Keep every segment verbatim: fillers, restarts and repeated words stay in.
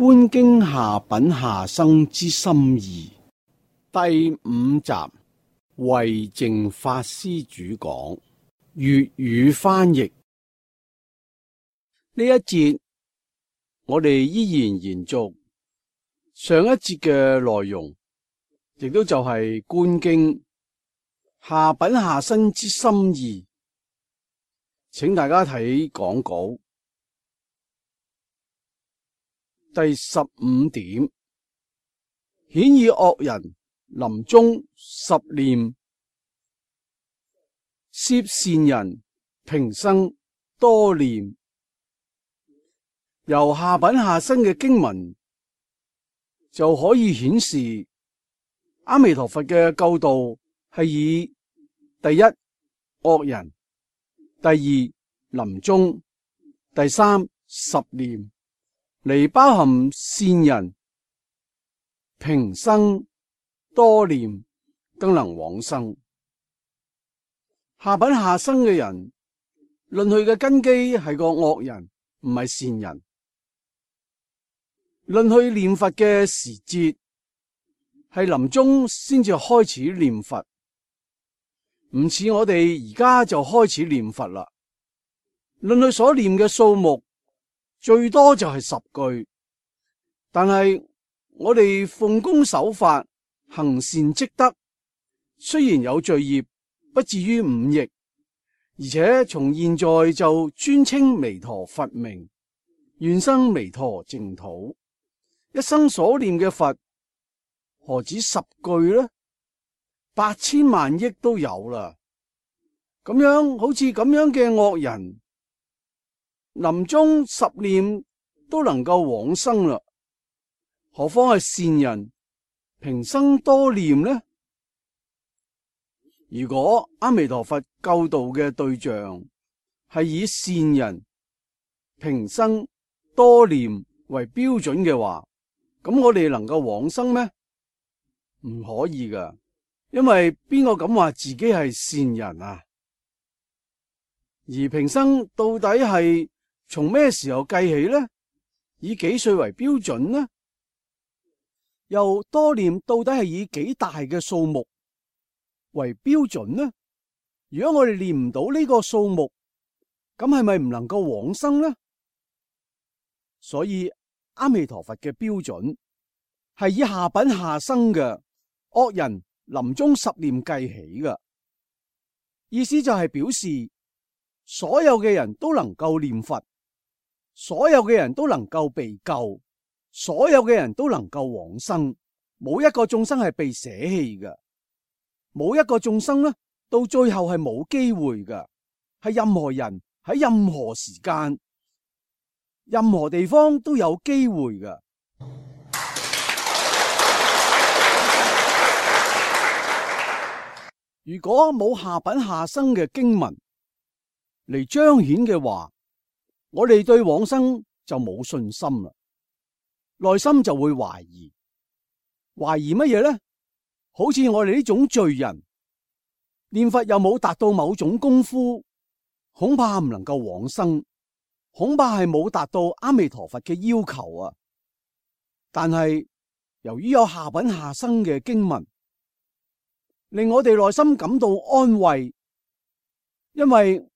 觀經下品下生之心意第五集，慧淨法師主講，粵語翻譯。呢一節我哋依然延續上一節嘅內容，亦都就係觀經下品下生之心意。請大家睇講稿。第十五點，顯以惡人臨終十念，攝善人平生多念。由下品下生嘅經文就可以顯示，阿彌陀佛嘅救度係以第一惡人，第二臨終，第三十念嚟包含善人平生多念，更能往生。下品下生嘅人，論佢嘅根基係個惡人，唔係善人。論佢念佛嘅時節，係臨終先至開始念佛，唔似我哋而家就開始念佛啦。論佢所念嘅數目，最多就係十句，但係我哋奉公守法，行善積德，雖然有罪業，不至於五逆，而且從現在就專稱彌陀佛名，願生彌陀淨土。一生所念嘅佛，何止十句呢？八千萬億都有啦。咁樣好似咁樣嘅惡人，臨終十念都能夠往生啦，何況係善人平生多念呢？如果阿彌陀佛救度嘅對象係以善人平生多念為標準嘅話，咁我哋能夠往生咩？唔可以噶，因為邊個敢話自己係善人啊？而平生到底係從咩時候計起呢？以幾歲為標準呢？又多念到底係以幾大嘅數目為標準呢？如果我哋念唔到呢個數目，咁係咪唔能夠往生呢？所以阿彌陀佛嘅標準係以下品下生嘅惡人臨終十念計起嘅，意思就係表示所有嘅人都能夠念佛，所有嘅人都能夠被救，所有嘅人都能夠往生，冇一個眾生係被捨棄嘅，冇一個眾生呢到最後係冇機會嘅，係任何人喺任何時間、任何地方都有機會嘅。如果冇下品下生嘅經文嚟彰顯嘅話，我哋對往生就冇信心啦，內心就會懷疑，懷疑乜嘢呢？好似我哋呢種罪人，念佛又冇達到某種功夫，恐怕唔能夠往生，恐怕係冇達到阿彌陀佛嘅要求啊！但係由於有下品下生嘅經文，令我哋內心感到安慰，因為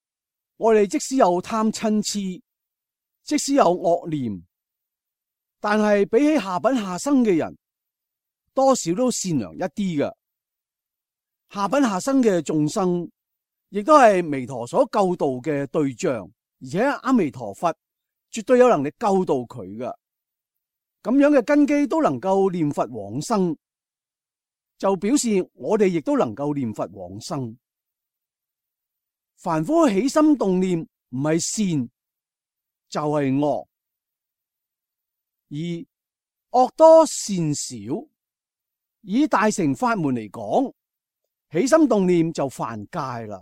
我哋即使有貪嗔癡，即使有惡念，但係比起下品下生嘅人，多少都善良一啲嘅。下品下生嘅眾生，亦都係彌陀所救度嘅對象，而且阿彌陀佛絕對有能力救度佢嘅。咁樣嘅根基都能夠念佛往生，就表示我哋亦都能夠念佛往生。凡夫起心動念唔係善就係惡，而惡多善少。以大乘法門嚟講，起心動念就犯戒啦。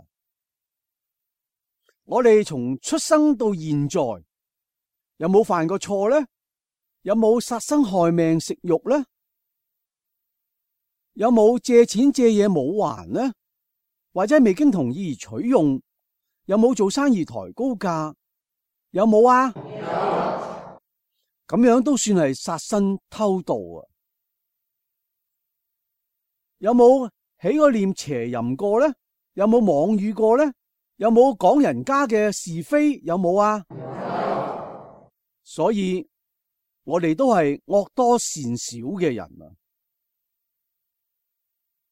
我哋從出生到現在有冇犯過錯呢？有冇殺生害命食肉呢？有冇借錢借嘢冇還呢？或者未經同意而取用？有冇做生意抬高價？有冇啊？有。咁樣都算係殺身偷盜啊！有冇起過念邪淫過呢？有冇妄語過呢？有冇講人家嘅是非？有冇啊？所以我哋都係惡多善少嘅人啊！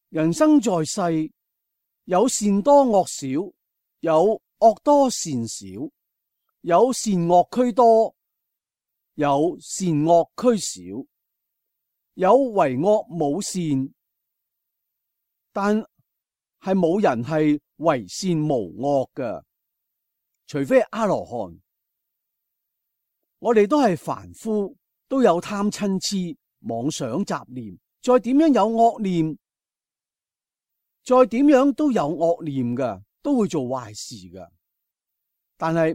人生在世，有善多惡少，有惡多善少，有善惡俱多，有善惡俱少，有為惡冇善，但係冇人係為善無惡㗎，除非阿羅漢。我哋都係凡夫，都有貪嗔癡、妄想雜念，再點樣有惡念，再點樣都有惡念㗎，都會做壞事㗎。但係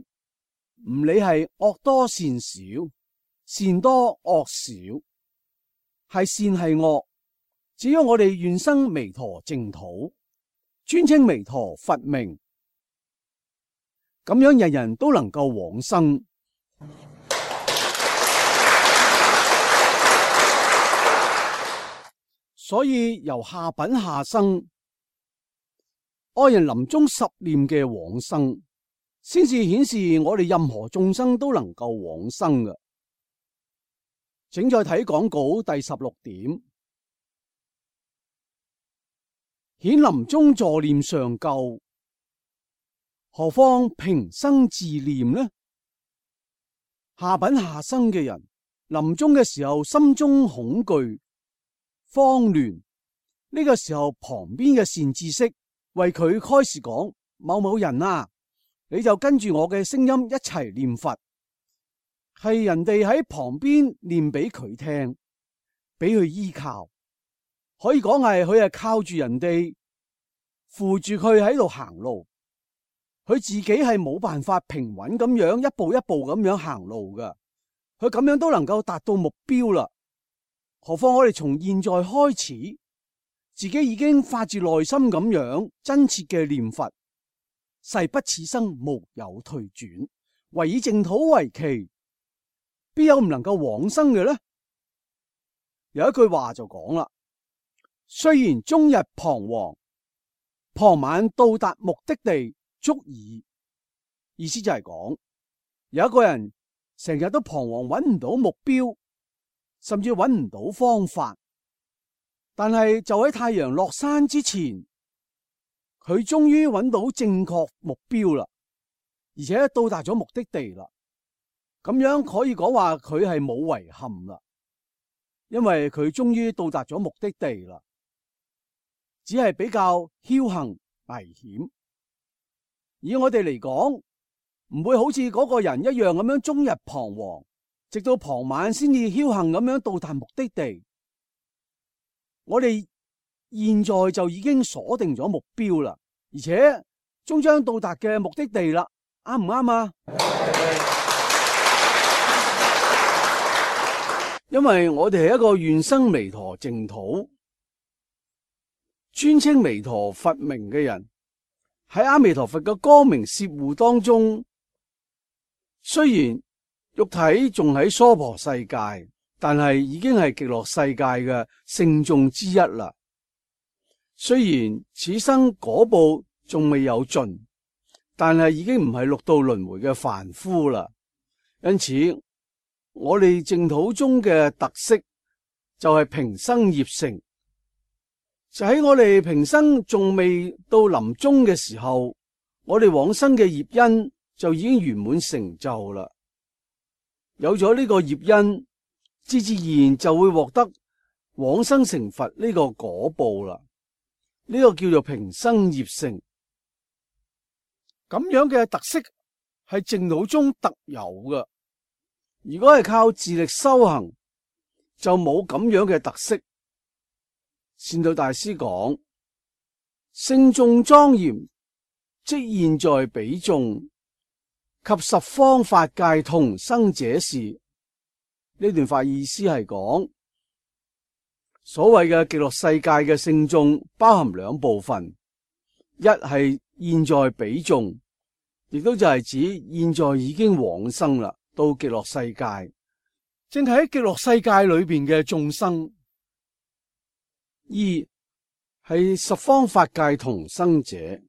唔理係惡多善少，善多惡少，係善係惡，只要我哋願生彌陀淨土，尊稱彌陀佛名，咁樣人人都能夠往生。所以由下品下生，愛人臨終十念嘅往生，先至顯示我哋任何眾生都能夠往生嘅。請再睇講稿第十六點，顯臨終助念上救，何況平生自念呢？下品下生嘅人臨終嘅時候，心中恐懼慌亂，呢個時候旁邊嘅善知識為佢開示講：某某人啊，你就跟住我嘅聲音一齊念佛。係人哋喺旁邊念俾佢聽，俾佢依靠，可以講係佢係靠住人哋扶住佢喺度行路，佢自己係冇辦法平穩咁樣一步一步咁樣行路噶，佢咁樣都能夠達到目標啦。何況我哋從現在開始，自己已經發自內心咁樣真切嘅念佛，誓不此生無有退轉，唯以淨土為期，必有唔能夠往生嘅呢？有一句話就講啦：雖然終日彷徨，傍晚到達目的地足矣。意思就係講，有一個人成日都彷徨，揾唔到目標，甚至揾唔到方法，但係就喺太陽落山之前，佢終於揾到正確目標啦，而且到達咗目的地啦。咁樣可以講話佢係冇遺憾啦，因為佢終於到達咗目的地啦，只係比較僥倖危險。以我哋嚟講，唔會好似嗰個人一樣咁樣終日彷徨，直到傍晚先至僥倖咁樣到達目的地。我哋現在就已經鎖定咗目標啦，而且終將到達嘅目的地啦，啱唔啱啊？因為我哋係一個願生彌陀淨土、尊稱彌陀佛名嘅人，喺阿彌陀佛嘅光明攝護當中，雖然肉體仲喺娑婆世界，但係已經係極樂世界嘅聖眾之一啦。雖然此生果報仲未有盡，但係已經唔係六道輪迴嘅凡夫啦。因此，我哋淨土中嘅特色就係平生業成，就喺我哋平生仲未到臨終嘅時候，我哋往生嘅業因就已經圓滿成就啦。有咗呢個業因，自自然就會獲得往生成佛呢個果報啦。呢個叫做平生業成，咁樣嘅特色係淨土中特有嘅。如果係靠自力修行，就冇咁樣嘅特色。善導大師講：聖眾莊嚴，即現在彼眾，及十方法界同生者是。呢段法意思係講，所謂嘅極樂世界嘅聖眾包含兩部分，一係現在彼眾，亦都就係指現在已經往生啦，到極樂世界，正係喺極樂世界裏邊嘅眾生。二係十方法界同生者，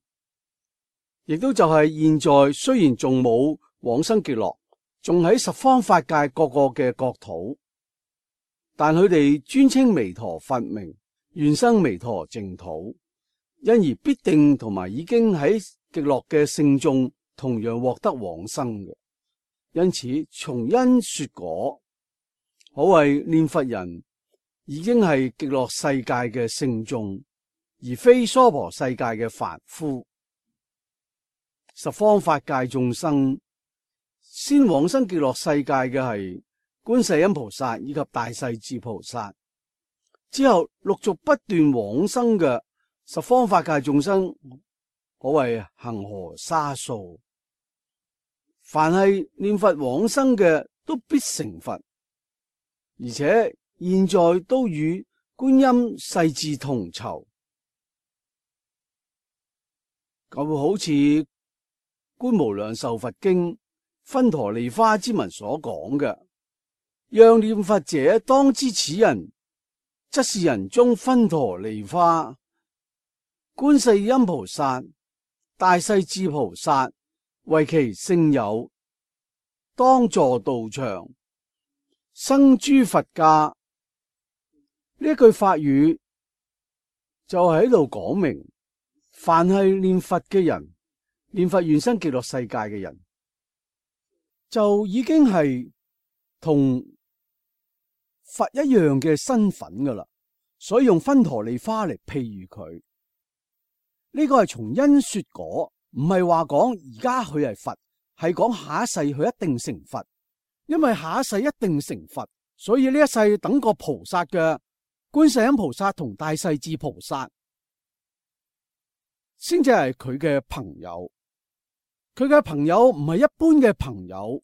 亦都就係現在雖然仲冇往生極樂，仲喺十方法界各個嘅國土，但佢哋尊稱彌陀佛名，願生彌陀淨土，因而必定同埋已經喺極樂嘅聖眾同樣獲得往生嘅。因此從因說果，可謂念佛人已經係極樂世界嘅聖眾，而非娑婆世界嘅凡夫。十方法界眾生先往生極樂世界嘅係觀世音菩薩以及大勢至菩薩，之後陸續不斷往生嘅十方法界眾生，可謂恆河沙數。凡係念佛往生嘅都必成佛，而且現在都與觀音勢至同酬。咁好似《觀無量壽佛經》分陀利花之文所講嘅，讓念佛者當知此人，則是人中分陀利花。觀世音菩薩、大勢至菩薩為其聖友，當坐道場，生諸佛家。呢一句法語就喺度講明，凡係念佛嘅人，念佛願生極樂世界嘅人，就已經係同佛一樣嘅身份噶啦。所以用分陀利花嚟譬喻佢。呢個係從因說果，唔係話講而家佢係佛，係講下一世佢一定成佛。因為下一世一定成佛，所以呢一世等個菩薩嘅觀世音菩薩同大勢至菩薩，先至係佢嘅朋友。佢嘅朋友唔係一般嘅朋友。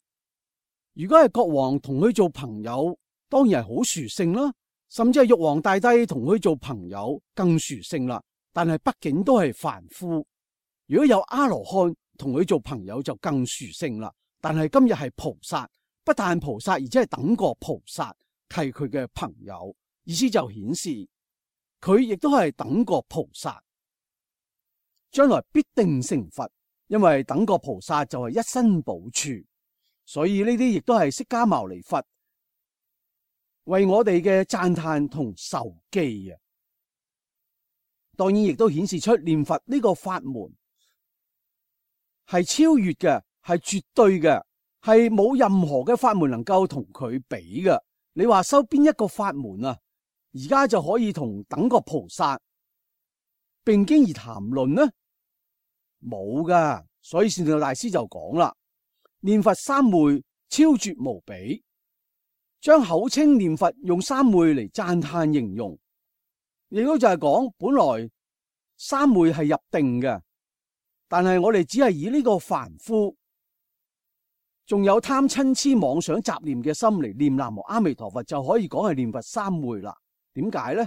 如果係國王同佢做朋友，當然係好殊勝啦。甚至係玉皇大帝同佢做朋友更殊勝啦。但係畢竟都係凡夫。如果有阿羅漢同佢做朋友就更殊勝啦。但係今日係菩薩，不但菩薩，而且係等覺菩薩係佢嘅朋友，意思就顯示佢亦都係等覺菩薩，將來必定成佛。因為等覺菩薩就係一身寶處，所以呢啲亦都係釋迦牟尼佛為我哋嘅讚嘆同授記啊。當然亦都顯示出念佛呢個法門係超越嘅，係絕對嘅，係冇任何嘅法門能夠同佢比嘅。你話修邊一個法門啊？而家就可以同等覺菩薩並經而談論呢？冇噶。所以善導大師就講啦，念佛三昧超絕無比，將口稱念佛用三昧嚟讚嘆形容，亦都就係講本來三昧係入定嘅，但係我哋只係以呢個凡夫仲有貪嗔癡妄想雜念嘅心嚟念南無阿彌陀佛，就可以講係念佛三昧啦。點解呢？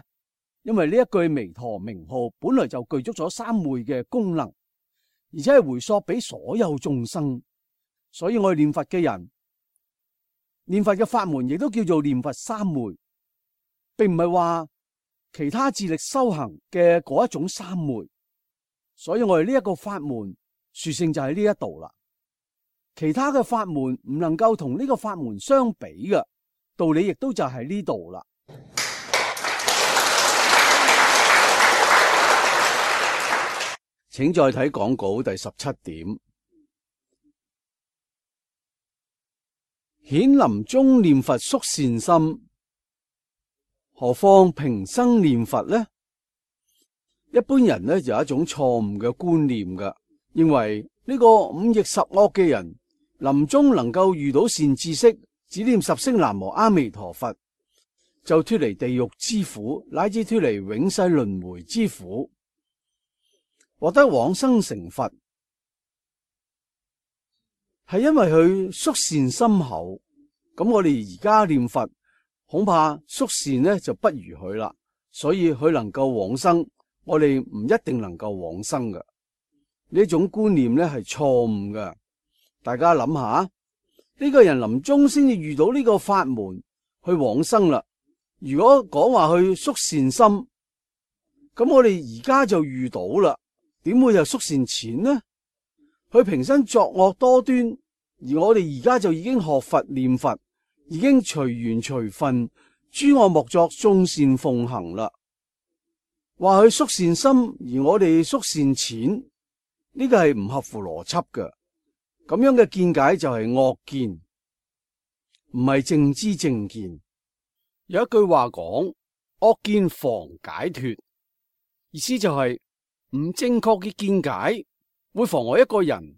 因為呢一句彌陀名號本來就具足咗三昧嘅功能，而且係回溯俾所有眾生，所以我哋念佛嘅人，念佛嘅法門亦都叫做念佛三昧，並唔係話其他自力修行嘅嗰一種三昧。所以我哋呢一個法門殊勝就喺呢一度啦。其他嘅法門唔能夠同呢個法門相比嘅道理，亦都就喺呢度啦。請再睇講稿第十七點。顯臨終念佛宿善心，何況平生念佛呢？一般人呢就有一種錯誤嘅觀念嘅，認為呢個五逆十惡嘅人臨終能夠遇到善知識，只念十聲南無阿彌陀佛，就脫離地獄之苦，乃至脫離永世輪迴之苦，獲得往生成佛，係因為佢宿善心厚。咁我哋而家念佛，恐怕宿善呢就不如佢啦，所以佢能夠往生，我哋唔一定能夠往生嘅。呢種觀念呢係錯誤嘅。大家諗下，呢個人臨終先至遇到呢個法門，去往生啦。如果講話去宿善心，咁我哋而家就遇到啦，點會有宿善淺呢？佢平生作惡多端，而我哋而家就已經學佛念佛，已經隨緣隨分，諸惡莫作，眾善奉行啦。話佢宿善心，而我哋宿善淺，呢個係唔合乎邏輯嘅。咁樣嘅見解就係惡見，唔係正知正見。有一句話講，惡見妨解脫，意思就係唔正確嘅見解會妨礙一個人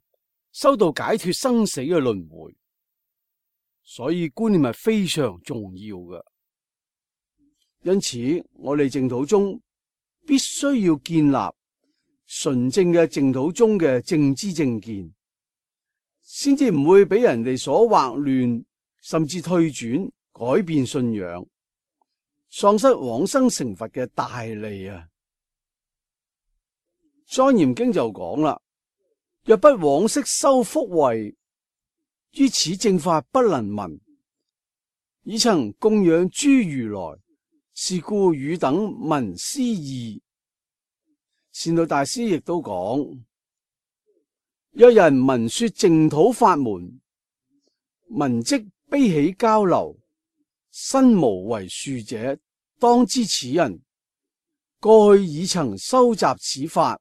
修到解脫生死嘅輪迴，所以觀念係非常重要嘅。因此，我哋淨土宗必須要建立純正嘅淨土宗嘅正知正見，先至唔會俾人哋所惑亂，甚至退轉改變信仰，喪失往生成佛嘅大利啊！莊嚴經就講啦，若不往昔修福慧，於此正法不能聞。已曾供養諸如來，是故汝等聞斯義。善導大師亦都講，若人聞說淨土法門，聞即悲喜交流，身無為樹者，當知此人過去已曾收集此法，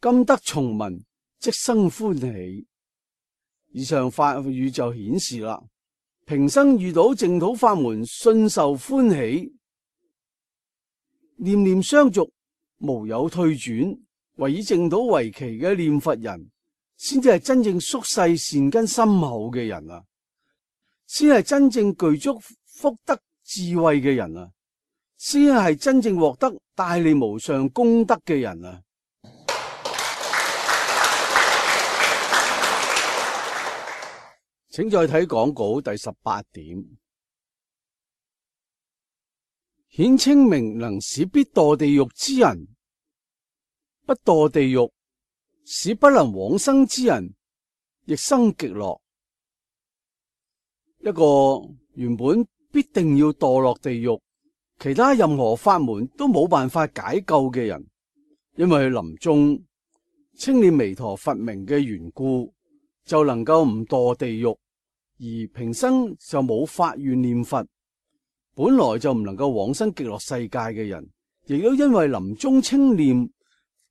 今得重聞，即生歡喜。以上法語就顯示啦，平生遇到淨土法門，信受歡喜，念念相續，無有退轉，唯以淨土為期嘅念佛人，先至係真正宿世善根深厚嘅人啊，先係真正具足福德智慧嘅人啊，先係真正獲得大利無上功德嘅人啊！請再睇講稿第十八點，顯清明能使必墮地獄之人不墮地獄，使不能往生之人亦生極樂。一個原本必定要墮落地獄，其他任何法門都冇辦法解救嘅人，因為佢臨終稱念彌陀佛名嘅緣故，就能夠唔墮地獄，而平生就冇發願念佛，本來就唔能夠往生極樂世界嘅人，亦都因為臨終稱念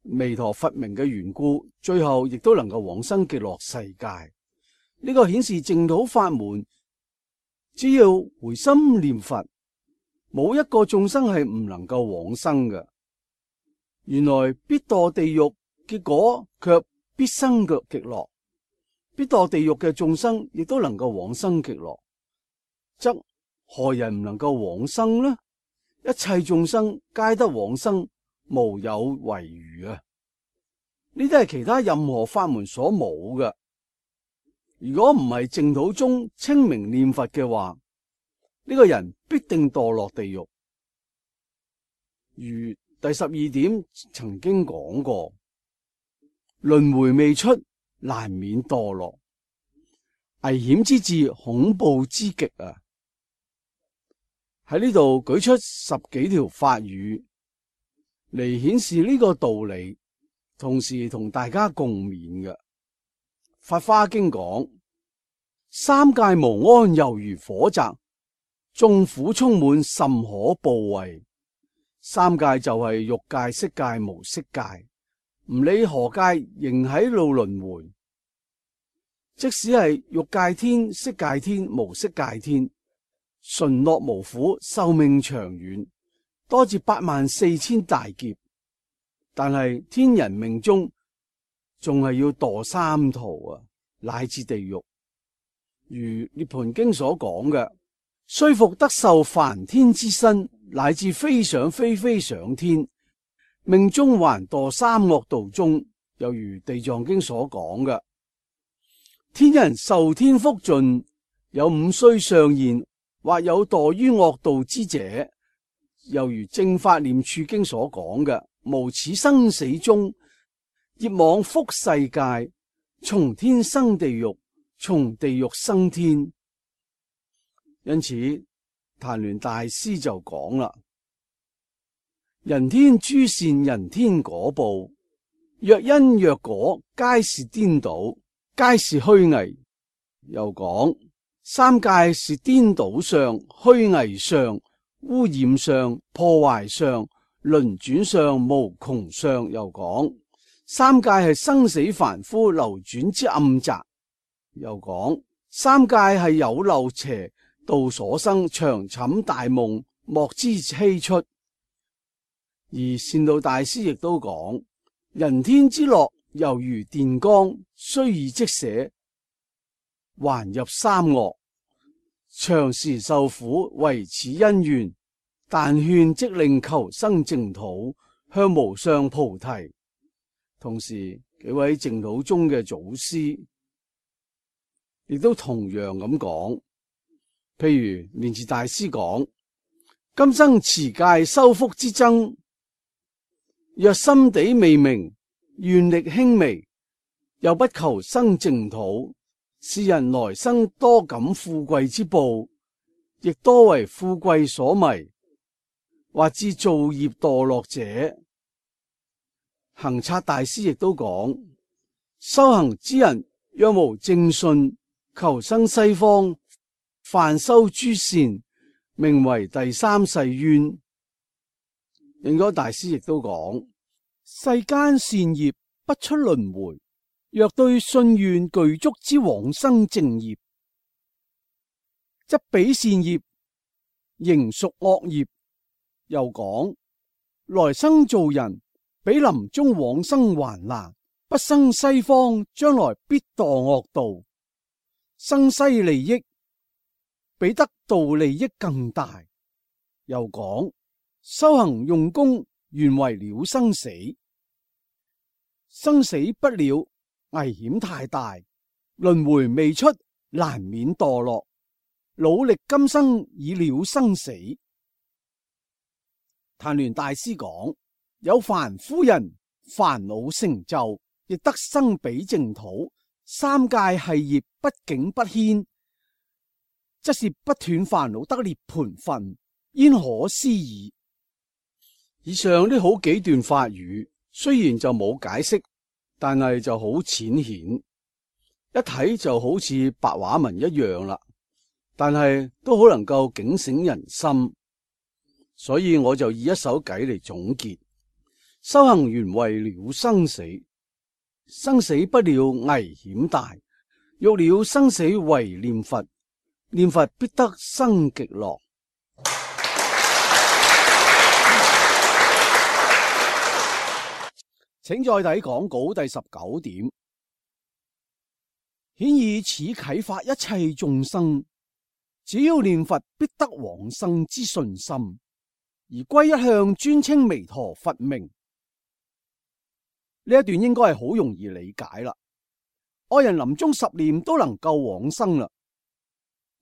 彌陀佛名嘅緣故，最後亦都能夠往生極樂世界。呢個顯示淨土法門，只要回心念佛，冇一個眾生係唔能夠往生嘅。原來必墮地獄，結果卻必生嘅極樂。必墮地獄嘅眾生亦都能夠往生極樂，則何人唔能夠往生呢？一切眾生皆得往生，無有違餘啊！呢啲係其他任何法門所冇嘅。如果唔係淨土宗清明念佛嘅話，呢個人必定墮落地獄。如第十二點曾經講過，輪迴未出，難免墮落，危險之至，恐怖之極啊！喺呢度舉出十幾條法語嚟顯示呢個道理，同時同大家共勉嘅。法華經講，三界無安，猶如火宅，眾苦充滿，甚可怖畏。三界就係欲界、色界、無色界，唔理何界，仍喺度輪迴。即使係欲界天、色界天、無色界天，純樂無苦，壽命長遠，多至八萬四千大劫，但係天人命中仲係要墮三途啊，乃至地獄。如涅槃經所講嘅，雖復得受梵天之身，乃至飛上飛飛上天，命中還墮三惡道中。又如地藏經所講嘅，天人受天福盡，有五衰相現，或有墮於惡道之者。又如正法念處經所講嘅，無始生死中，業往復世界，從天生地獄，從地獄生天。因此曇鸞大師就講啦：人天諸善，人天果報，若因若果，皆是顛倒，皆是虛偽。又講三界是顛倒相、虛偽相、污染相、破壞相、輪轉相、無窮相。又講三界係生死凡夫流轉之暗宅。又講三界係有漏邪道所生，長寢大夢，莫知希出。而善導大師亦都講，人天之樂猶如電光，雖已即捨，還入三惡，長時受苦，為此因緣。但勸即令求生淨土，向無上菩提。同時，幾位淨土宗嘅祖師亦都同樣咁講，譬如蓮池大師講：今生持戒修福之僧，若心地未明，願力輕微，又不求生淨土，是人來生多感富貴之報，亦多為富貴所迷，或致造業墮落者。行察大師亦都講：修行之人若無正信，求生西方，犯修諸善，名為第三世冤。應該大師亦都講：世間善業不出輪迴，若對信願具足之往生淨業，則彼善業仍屬惡業。又講來生做人，比臨終往生還難，不生西方，將來必墮惡道。生西利益比得道利益更大。又講修行用功，原為了生死，生死不了，危險太大，輪迴未出，難免墮落。努力今生以了生死。曇鸞大師講：有凡夫人煩惱成就，亦得生彼淨土。三界係業不境不牽，則是不斷煩惱得涅槃分，焉可思議。以上呢好幾段法語，雖然就冇解釋，但係就好淺顯，一睇就好似白話文一樣啦。但係都好能夠警醒人心，所以我就以一首偈嚟總結：修行原為了生死，生死不了危險大，欲了生死唯念佛，念佛必得生極樂。請再睇講稿第十九點，顯以此啟發一切眾生，只要念佛必得往生之信心，而歸一向尊稱彌陀佛名。呢一段應該係好容易理解啦。愛人臨終十念都能夠往生啦，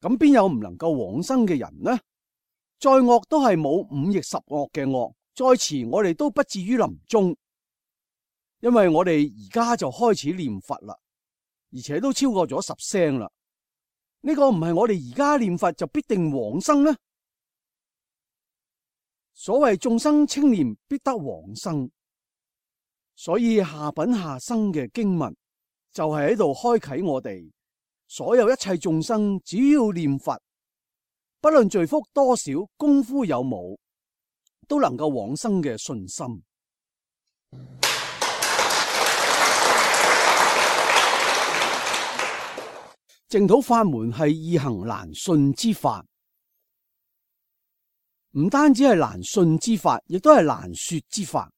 咁邊有唔能夠往生嘅人呢？再惡都係冇五逆十惡嘅惡，再遲我哋都不至於臨終，因為我哋而家就開始念佛啦，而且都超過咗十聲啦。呢個唔係我哋而家念佛就必定往生呢？所謂眾生清念必得往生，所以下品下生嘅經文就係喺度開啟我哋所有一切眾生，只要念佛，不論罪福多少，功夫有冇，都能夠往生嘅信心。淨土法門係易行難信之法，唔單止係難信之法，亦都係難說之法。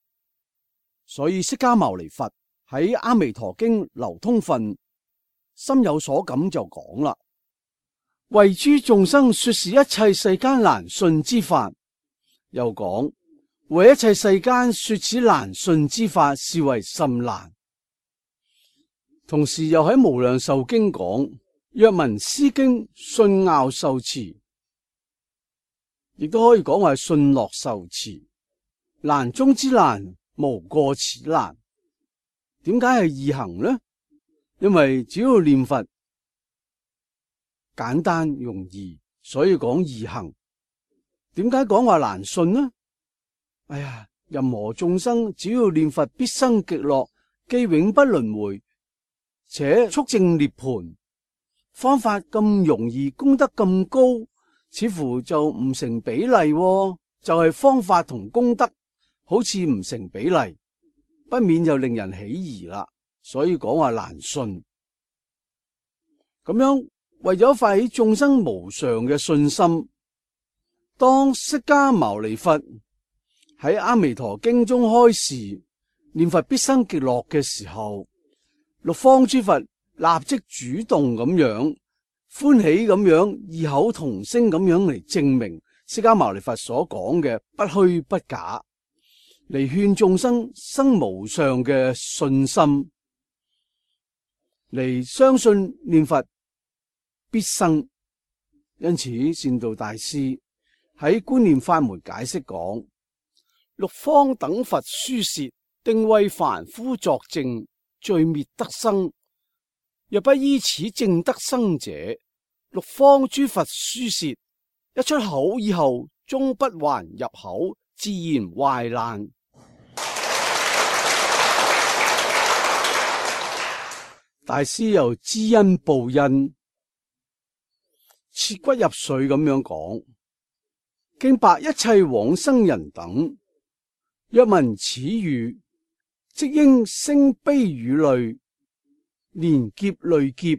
所以釋迦牟尼佛喺《阿彌陀經》流通分心有所感就講啦：為諸眾生說是一切世間難信之法。又講為一切世間說此難信之法，是為甚難。同時又喺《無量壽經》講：若聞斯經，信樂受持，亦都可以講話信樂受持。難中之難，無過此難。點解係易行呢？因為只要念佛簡單容易，所以講易行。點解講話難信呢？哎呀，任何眾生只要念佛必生極樂，既永不輪迴，且速證涅槃，方法咁容易，功德咁高，似乎就唔成比例喎，就係方法同功德好似唔成比例，不免就令人起疑啦。所以講話難信。咁樣為咗發起眾生無上嘅信心，當釋迦牟尼佛喺《阿彌陀經》中開示念佛必生極樂嘅時候，六方諸佛立即主動咁樣歡喜咁樣異口同聲咁樣嚟證明釋迦牟尼佛所講嘅不虛不假，嚟勸眾生生無上嘅信心，嚟相信念佛必生。因此善導大師喺觀念法門解釋講：六方等佛書舌，定為凡夫作證，罪滅得生。若不依此證得生者，六方諸佛書舌一出口以後，終不還入口，自然壞爛。大師又知恩報恩，切骨入髓咁樣講：敬白一切往生人等，若聞此語，即應聲悲與淚，連劫累劫，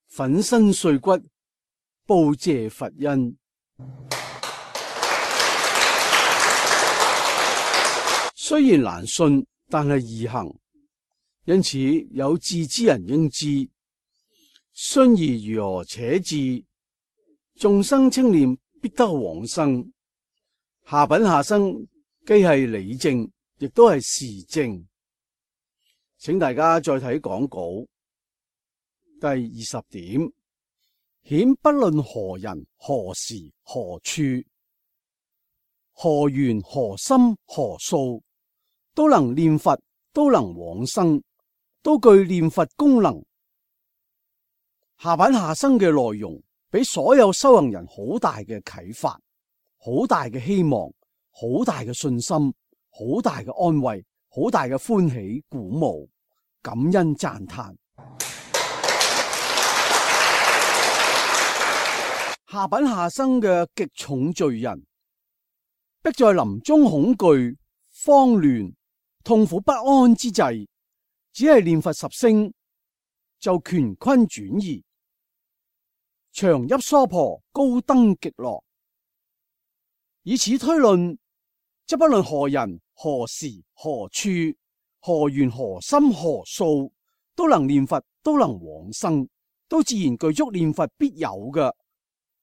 粉身碎骨，報謝佛恩。雖然難信，但係易行，因此有志之人應知。信而如何且至？眾生稱念必得往生。下品下生既係理證，亦都係事證。請大家再睇講稿第二十點，顯不論何人何時何處何緣何心何數，都能念佛，都能往生，都具念佛功能。下品下生嘅內容俾所有修行人好大嘅啟發，好大嘅希望，好大嘅信心，好大嘅安慰，好大嘅歡喜鼓舞，感恩讚嘆。下品下生嘅極重罪人，迫在臨終恐懼、慌亂、痛苦不安之際，只係念佛十聲就乾坤轉移，長泣娑婆，高登極樂。以此推論，則不論何人何時何處何緣何心何數，都能念佛，都能往生，都自然具足念佛必有嘅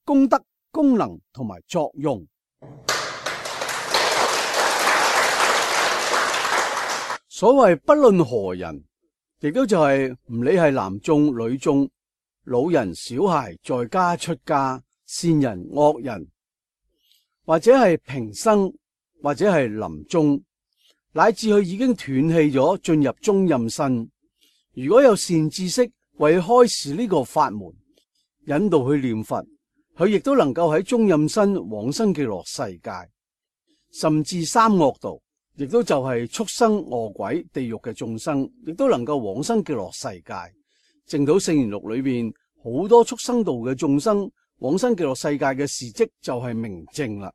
功德、功能同埋作用。所謂不論何人，亦都就係唔理係男眾女眾、老人小孩、在家出家、善人惡人，或者係平生，或者係臨終，乃至佢已經斷氣咗，進入中陰身。如果有善知識為開示呢個法門，引導佢念佛，佢亦都能夠喺中陰身往生極樂世界，甚至三惡道，亦都就係畜生、餓鬼、地獄嘅眾生，亦都能夠往生極樂世界。淨土聖言錄裏邊好多畜生道嘅眾生往生極樂世界嘅事跡就係明證啦。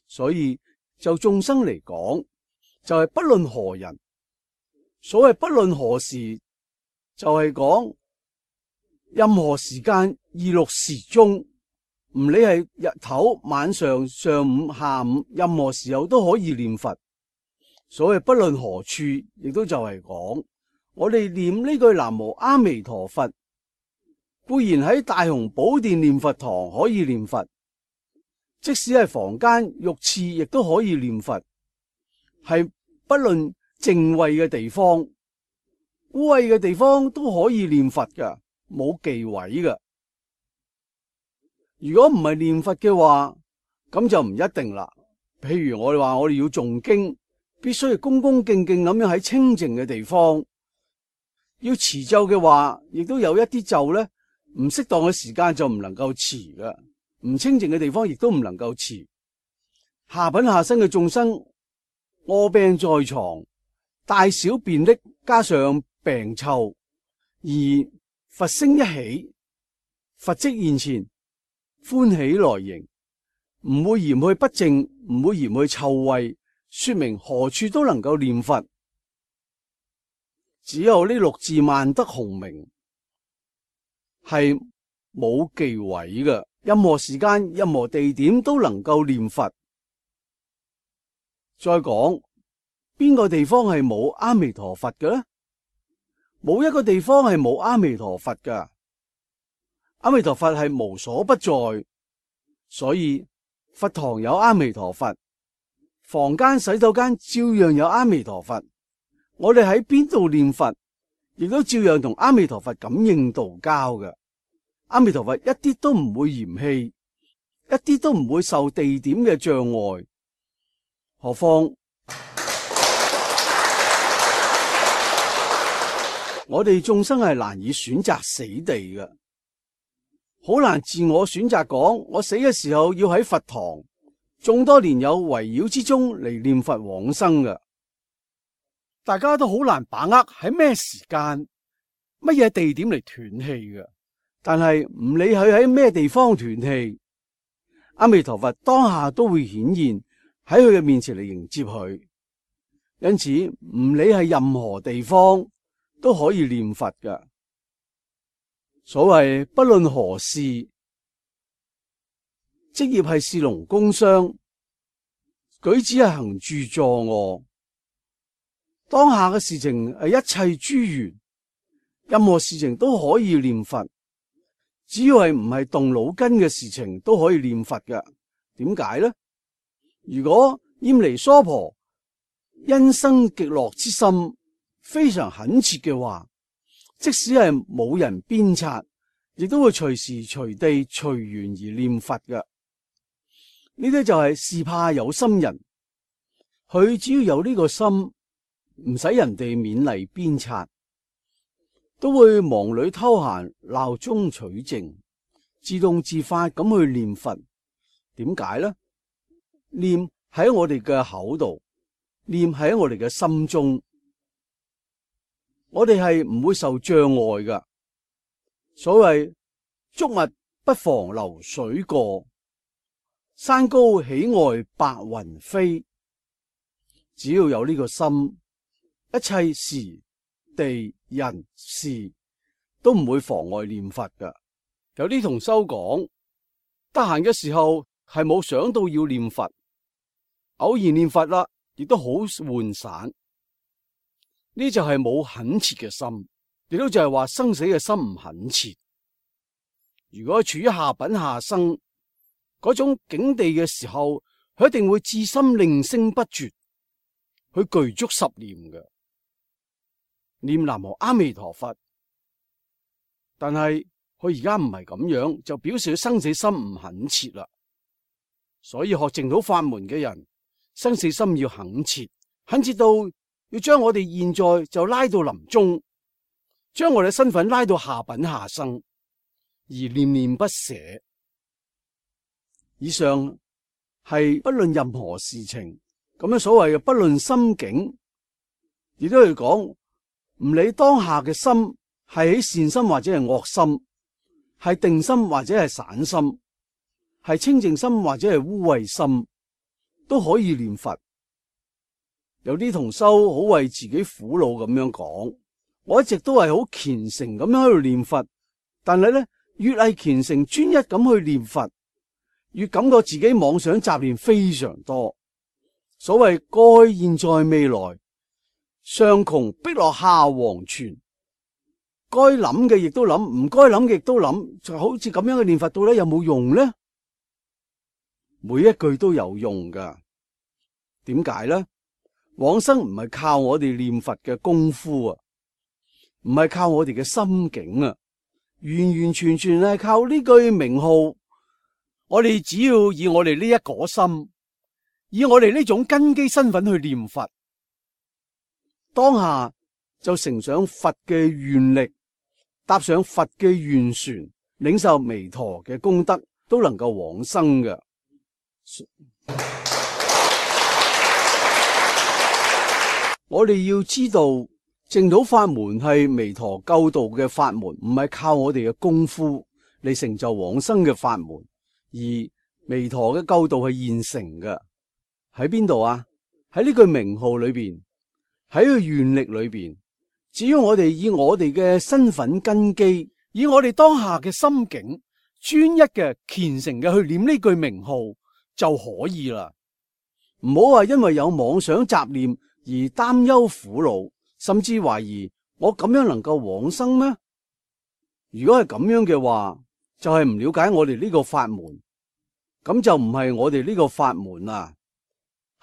所以就眾生嚟講，就係、是、不論何人，所謂不論何時，就係、是、講任何時間二六時中，唔理係日頭、晚上、上午、下午，任何時候都可以念佛。所謂不論何處，亦都就係講我哋念呢句南無阿彌陀佛，固然喺大雄寶殿念佛堂可以念佛，即使係房間浴廁亦都可以念佛，係不論淨穢嘅地方、污穢嘅地方都可以念佛㗎，冇忌諱㗎。如果唔係念佛嘅話，咁就唔一定啦。譬如我哋話我哋要誦經，必須要恭恭敬敬咁樣喺清淨嘅地方。要持咒嘅話，亦都有一啲咒咧，唔適當嘅時間就唔能夠持㗎，唔清淨嘅地方亦都唔能夠持。下品下生嘅眾生臥病在床，大小便溺，加上病臭，而佛聲一起，佛迹現前，歡喜來迎，唔會嫌去不淨，唔會嫌去臭味，說明何處都能夠念佛。只有呢六字萬德洪名係冇忌諱嘅，任何時間、任何地點都能夠念佛。再講，邊個地方係冇阿彌陀佛嘅呢？冇一個地方係冇阿彌陀佛㗎。阿彌陀佛係無所不在，所以佛堂有阿彌陀佛，房間、洗手間照樣有阿彌陀佛。我哋喺邊度念佛，亦都照樣同阿彌陀佛感應道交嘅。阿彌陀佛一啲都唔會嫌棄，一啲都唔會受地點嘅障礙。何況我哋眾生係難以選擇死地嘅，好難自我選擇講我死嘅時候要喺佛堂眾多年友圍繞之中嚟念佛往生嘅。大家都好難把握喺咩時間、乜嘢地點嚟斷氣嘅。但係唔理佢喺咩地方斷氣，阿彌陀佛當下都會顯現喺佢嘅面前嚟迎接佢。因此唔理係任何地方都可以念佛嘅。所謂不論何事，職業係士農工商，舉止係行住坐臥，當下嘅事情係一切諸緣，任何事情都可以念佛。只要係唔係動腦筋嘅事情都可以念佛嘅。點解呢？如果閻離娑婆因生極樂之心非常懇切嘅話，即使係冇人鞭策，亦都會隨時隨地隨緣而念佛嘅。呢啲就係是怕有心人，佢只要有呢個心，唔使人哋勉勵鞭策，都會忙裏偷閒，鬧中取靜，自動自發咁去念佛。點解呢？念喺我哋嘅口度，念喺我哋嘅心中，我哋係唔會受障礙㗎。所謂竹密不妨流水過，山高喜愛白雲飛。只要有呢個心，一切時地人事都唔會妨礙念佛㗎。有啲同修講，得閒嘅時候係冇想到要念佛，偶然念佛啦，亦都好渙散。呢就係冇懇切嘅心，亦都就係話生死嘅心唔懇切。如果處於下品下生嗰種境地嘅時候，佢一定會至心令聲不絕，佢具足十念嘅。念南無阿彌陀佛，但係佢而家唔係咁樣，就表示佢生死心唔懇切啦。所以學淨土法門嘅人，生死心要懇切，懇切到要將我哋現在就拉到臨終，將我哋身份拉到下品下生，而念念不捨。以上係不論任何事情，咁樣所謂嘅不論心境，亦都係講。唔理當下嘅心係喺善心或者係惡心，係定心或者係散心，係清淨心或者係污穢心，都可以念佛。有啲同修好為自己苦惱咁樣講，我一直都係好虔誠咁樣喺度念佛，但係咧越係虔誠專一咁去念佛，越感覺自己妄想雜念非常多。所謂過去、現在、未來，上窮碧落下黃泉，該諗嘅亦都諗，唔該諗嘅亦都諗，就好似咁樣嘅念佛到底有冇用呢？每一句都有用噶。點解呢？往生唔係靠我哋念佛嘅功夫啊，唔係靠我哋嘅心境啊，完完全全係靠呢句名號。我哋只要以我哋呢一顆心，以我哋呢種根基身份去念佛，當下就乘上佛嘅願力，搭上佛嘅願船，領受彌陀嘅功德，都能夠往生嘅。我哋要知道淨土法門係彌陀救度嘅法門，唔係靠我哋嘅功夫嚟成就往生嘅法門，而彌陀嘅救度係現成嘅。喺邊度啊？喺呢句名號裏邊，喺個願力裏邊。只要我哋以我哋嘅身份根基，以我哋當下嘅心境，專一嘅虔誠嘅去念呢句名號就可以啦。唔好話因為有妄想雜念而擔憂苦惱，甚至懷疑我咁樣能夠往生咩？如果係咁樣嘅話，就係唔了解我哋呢個法門，咁就唔係我哋呢個法門啦。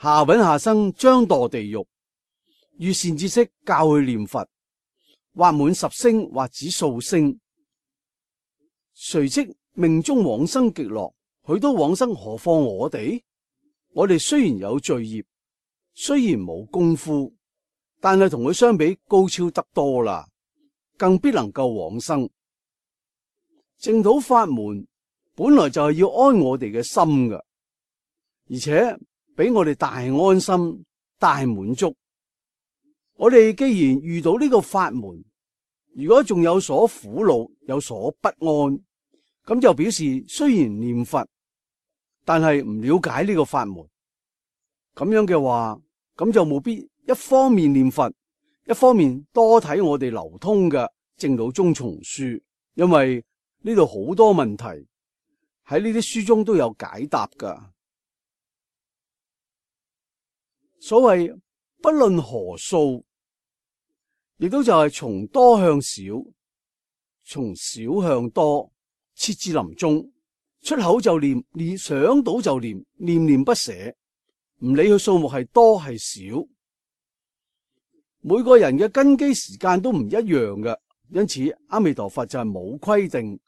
下品下生將墮地獄，遇善知識教佢念佛，或滿十聲，或只數聲，隨即命中往生極樂。許多往生，何況我哋？我哋雖然有罪業，雖然冇功夫，但係同佢相比高超得多啦，更必能夠往生。淨土法門本來就係要安我哋嘅心㗎，而且俾我哋大安心、大滿足。我哋既然遇到呢個法門，如果仲有所苦惱、有所不安，咁就表示雖然念佛，但係唔了解呢個法門。咁樣嘅話，咁就務必一方面念佛，一方面多睇我哋流通嘅淨土宗叢書，因為呢度好多問題喺呢啲書中都有解答噶。所謂不論何數，亦都就係從多向少，從少向多，切至臨終，出口就念，念想到就念，念念不捨，唔理佢數目係多係少。每個人嘅根基時間都唔一樣嘅，因此阿彌陀佛就係冇規定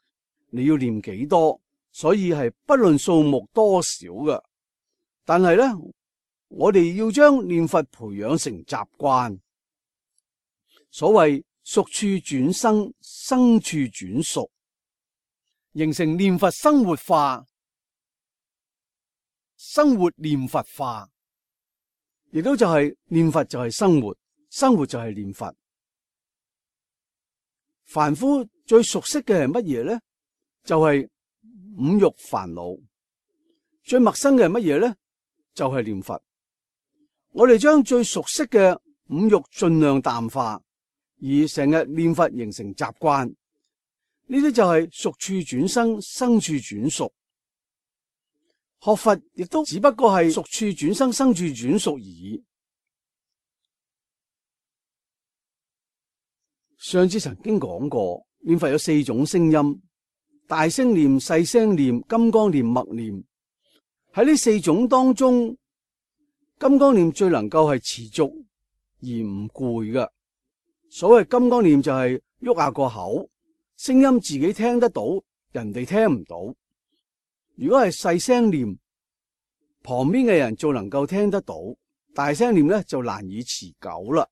你要念幾多，所以係不論數目多少嘅。但係咧，我哋要將念佛培養成習慣。所謂熟處轉生，生處轉熟，形成念佛生活化，生活念佛化，亦都就係念佛就係生活，生活就係念佛。凡夫最熟悉嘅係乜嘢咧？就係五欲煩惱。最陌生嘅係乜嘢咧？就係念佛。我哋將最熟悉嘅五欲盡量淡化，而成日念佛形成習慣，呢啲就係熟處轉生，生處轉熟。學佛亦都只不過係熟處轉生，生處轉熟而已。上次曾經講過，念佛有四種聲音：大聲念、細聲念、金剛念、默念。喺呢四種當中，金剛念最能夠係持續而唔攰嘅。所謂金剛念就係喐下個口，聲音自己聽得到，人哋聽唔到。如果係細聲念，旁邊嘅人就能夠聽得到；大聲念咧就難以持久啦。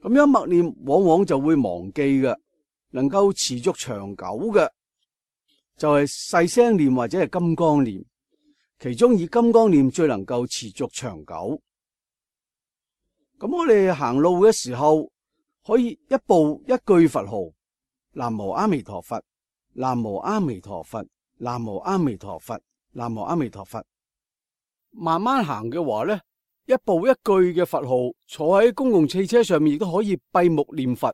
咁樣默念往往就會忘記嘅，能夠持續長久嘅就係細聲念或者係金剛念。其中以金剛念最能夠持續長久。咁我哋行路嘅時候，可以一步一句佛號：南無阿彌陀佛，南無阿彌陀佛，南無阿彌陀佛，南無阿彌陀佛。慢慢行嘅話咧，一步一句嘅佛號，坐喺公共汽車上面亦都可以閉目念佛。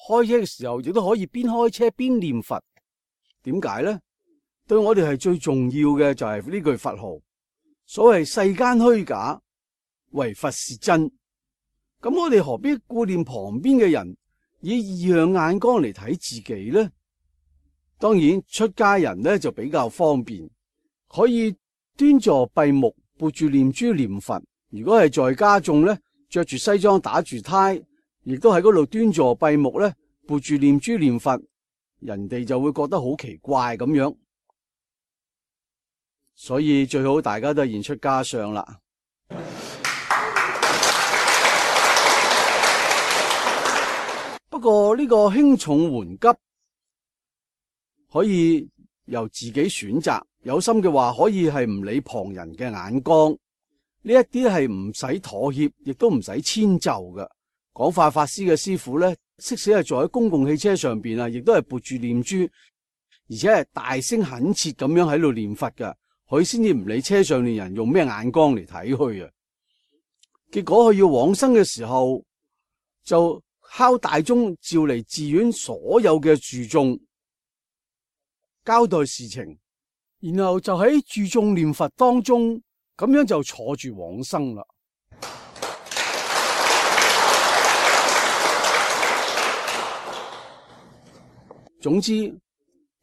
開車嘅時候亦都可以邊開車邊念佛。點解咧？對我哋係最重要嘅就係呢句佛號。所謂世間虛假，唯佛是真。咁我哋何必顧念旁邊嘅人，以異樣眼光嚟睇自己呢？當然出家人呢就比較方便，可以端坐閉目，撥住念珠念佛。如果係在家眾呢，着住西裝打住呔，亦都喺嗰度端坐閉目呢，撥住念珠念佛，人哋就會覺得好奇怪咁樣。所以最好大家都係現出家相啦。不過呢個輕重緩急可以由自己選擇，有心嘅話可以係唔理旁人嘅眼光，呢一啲係唔使妥協，亦都唔使遷就嘅。廣化法師嘅師傅咧，即使係坐喺公共汽車上邊啊，亦都係撥住念珠，而且係大聲懇切咁樣喺度念佛㗎。佢先至唔理車上面人用咩眼光嚟睇佢啊。結果佢要往生嘅時候，就敲大鐘召嚟寺院所有嘅住眾，交代事情，然後就喺住眾念佛當中，咁樣就坐住往生啦。總之，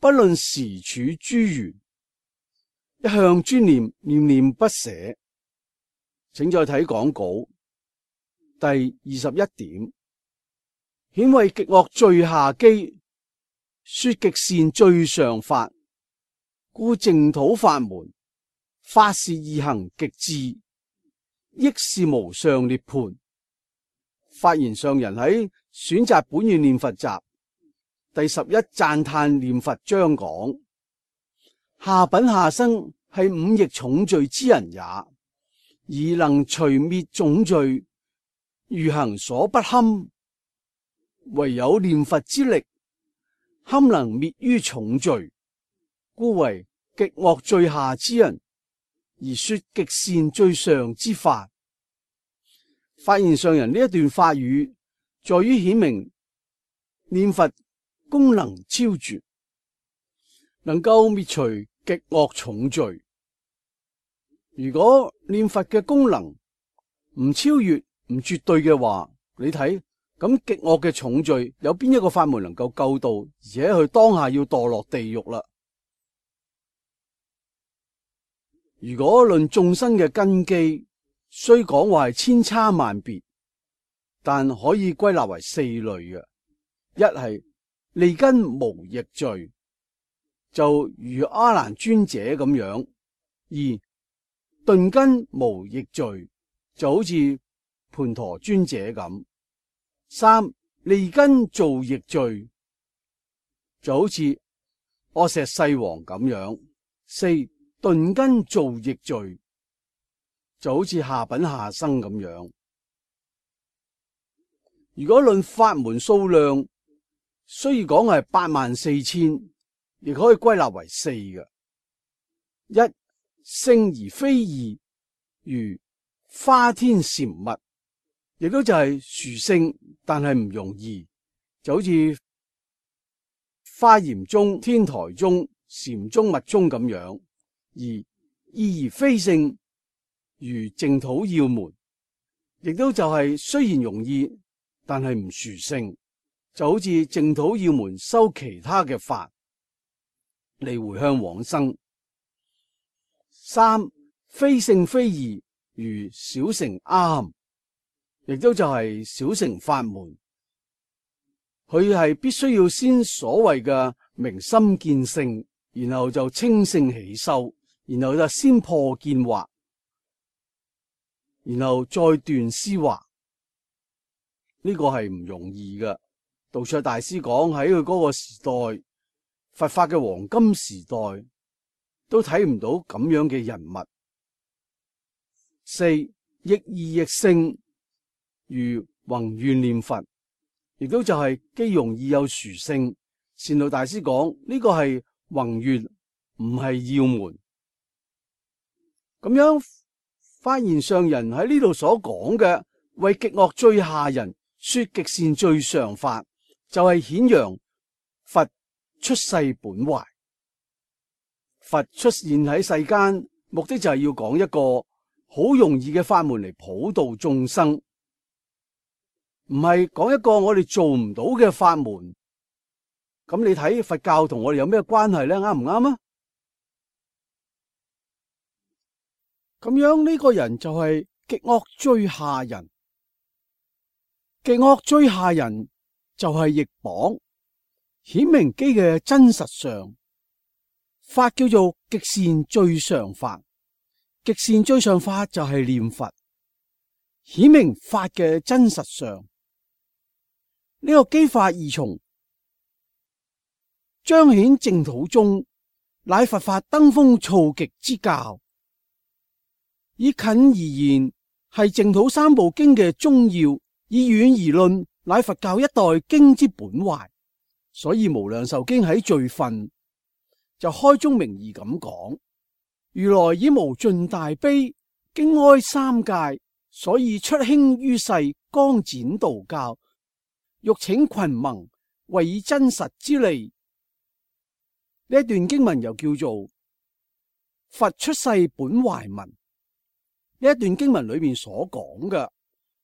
不論時處諸緣，一向專念，念念不捨。請再睇講稿第二十一點，顯為極惡最下機，說極善最上法，故淨土法門，法是易行極智，益是無上涅槃。發言上人喺選擇本願念佛集第十一讚歎念佛章講，下品下生係五逆重罪之人也，而能除滅重罪，如行所不堪，唯有念佛之力，堪能滅於重罪，故為極惡最下之人，而說極善最上之法。發言上人呢一段法語，在於顯明念佛功能超絕，能夠滅除極惡重罪。如果念佛嘅功能唔超越、唔絕對嘅話，你睇咁極惡嘅重罪有邊一個法門能夠救到，而且佢當下要墮落地獄啦？如果論眾生嘅根基，雖講話係千差萬別，但可以歸納為四類嘅。一係利根無逆罪，就如阿難尊者咁樣；二鈍根無逆罪，就好似盤陀尊者咁；三利根造逆罪，就好似阿闍世王咁樣；四鈍根造逆罪，就好似下品下生咁樣。如果論法門數量，雖然講係八萬四千，亦可以歸納為四嘅：一聖而非異，如花天禪密，亦都就係殊勝，但係唔容易，就好似華嚴宗、天台宗、禪宗、密宗咁樣；而異而非聖，如淨土要門，亦都就係雖然容易，但係唔殊勝，就好似淨土要門修其他嘅法嚟回向往生。三非聖非異，如小乘阿含，亦都就係小乘法門，佢係必須要先所謂嘅明心見性，然後就清性起修，然後就先破見惑，然後再斷思惑。呢個係唔容易嘅。道綽大師講喺佢嗰個時代，佛法嘅黃金時代，都睇唔到咁樣嘅人物。四亦易亦勝，如宏願念佛，亦都就係既容易又殊勝。善導大師講呢個係宏願，唔係要門。咁樣發言上人喺呢度所講嘅為極惡最下人說極善最上法，就係顯揚佛出世本懷。佛出現喺世間，目的就係要講一個好容易嘅法門嚟普度眾生，唔係講一個我哋做唔到嘅法門。咁你睇佛教同我哋有咩關係咧？啱唔啱啊？咁樣呢個人就係極惡最下人。極惡最下人就係譯榜顯明機嘅真實相法，叫做極善最上法。極善最上法就係念佛，顯明法嘅真實相。呢個機法二重，彰顯淨土宗乃佛法登峰造極之教。以近而言，係淨土三部經嘅宗要；以遠而論，乃佛教一代經之本懷。所以無量壽經喺序分就開宗明義咁講：如來以無盡大悲，經哀三界，所以出興於世，光展道教，欲請群盟，為以真實之利。呢一段經文又叫做佛出世本懷文。呢一段經文裏面所講嘅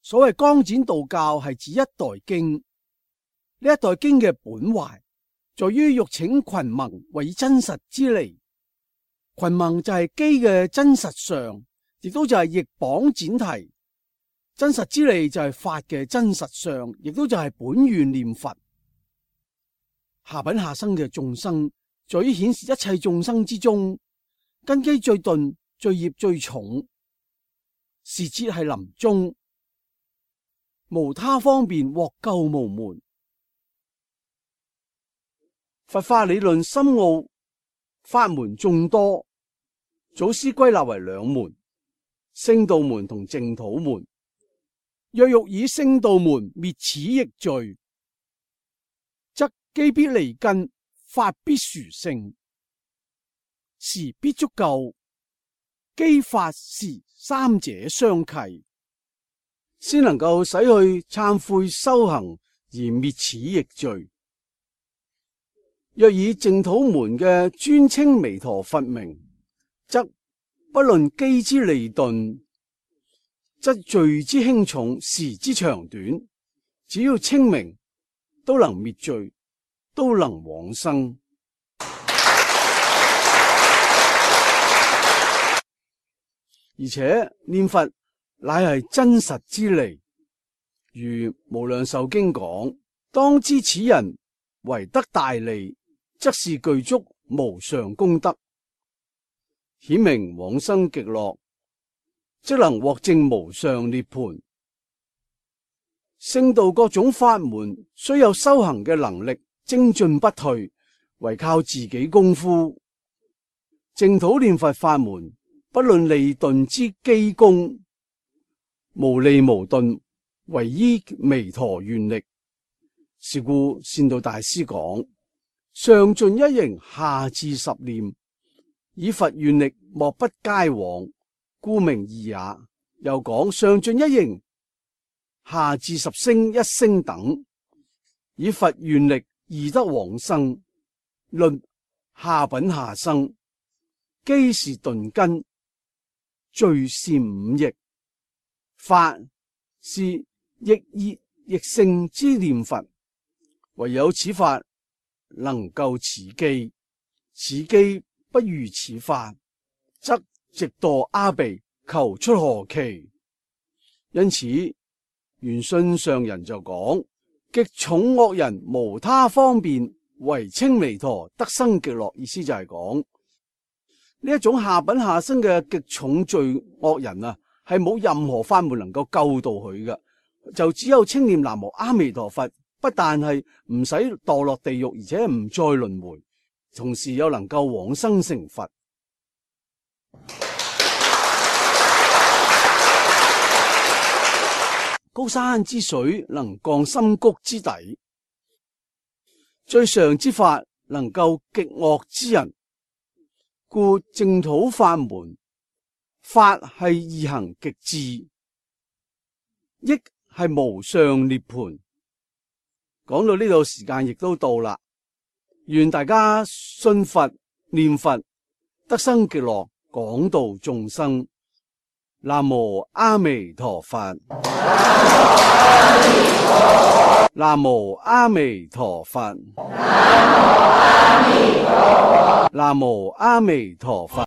所謂光展道教，係指一代經。呢一代經嘅本懷，在於欲請群盟，為以真實之利。群盟就係機嘅真實相，亦都就係譯榜展題。真實之利就係法嘅真實相，亦都就係本願念佛。下品下生嘅眾生，在於顯示一切眾生之中，根基最鈍、罪業最重，時節係臨終，無他方便獲救無門。佛法理論深奧，法門眾多，祖師歸納為兩門：聖道門同淨土門。若欲以聖道門滅此逆罪，則機必離根，法必殊勝，時必足夠，機法時三者相契，先能夠使去懺悔修行而滅此逆罪。若以淨土門嘅專稱彌陀佛名，則不論機之利鈍，則罪之輕重、時之長短，只要稱名，都能滅罪，都能往生。而且念佛乃係真實之利，如無量壽經講：當知此人為得大利，則是具足無上功德，顯明往生極樂，即能獲證無上涅槃。聖道各種法門雖有修行嘅能力，精進不退，唯靠自己功夫。淨土念佛法門，不論利鈍之機功，無利無鈍，唯依彌陀願力。是故善導大師講：上盡一形，下至十念，以佛願力莫不皆往，故名易也。又講上盡一形，下至十聲一聲等，以佛願力易得往生。論下品下生，機是鈍根，罪是五逆，法是逆熱逆性之念佛。唯有此法能夠此機，此機不如此法，則直墮阿鼻，求出何期？因此玄信上人就講：極重惡人無他方便，唯稱彌陀得生極樂。意思就係講呢一種下品下生嘅極重罪惡人啊，係冇任何法門能夠救到佢嘅，就只有稱念南無阿彌陀佛，不但係唔使墮落地獄，而且唔再輪迴，同時又能夠往生成佛。高山之水能降深谷之底，最上之法能救極惡之人。故淨土法門，法係易行極致，益係無上涅槃。講到呢度，時間亦都到啦。願大家信佛念佛，得生極樂，廣度眾生。南無阿彌陀佛。南無阿彌陀佛。南無阿彌陀佛。